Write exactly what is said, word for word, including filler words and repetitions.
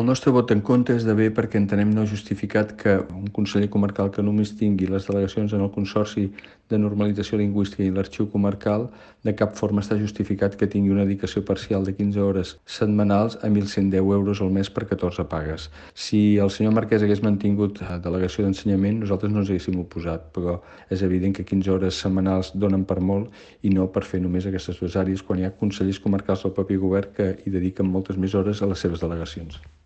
El nostre vot en contra és de bé perquè entenem no justificat que un conseller comarcal que només tingui les delegacions en el Consorci de Normalització Lingüística i l'Arxiu Comarcal de cap forma està justificat que tingui una dedicació parcial de quinze hores setmanals a mil cent deu euros al mes per catorze pagues. Si el senyor Marquès hagués mantingut delegació d'ensenyament, nosaltres no ens haguéssim oposat, però és evident que quinze hores setmanals donen per molt i no per fer només aquestes dues àrees quan hi ha consellers comarcals del propi govern que hi dediquen moltes més hores a les seves delegacions.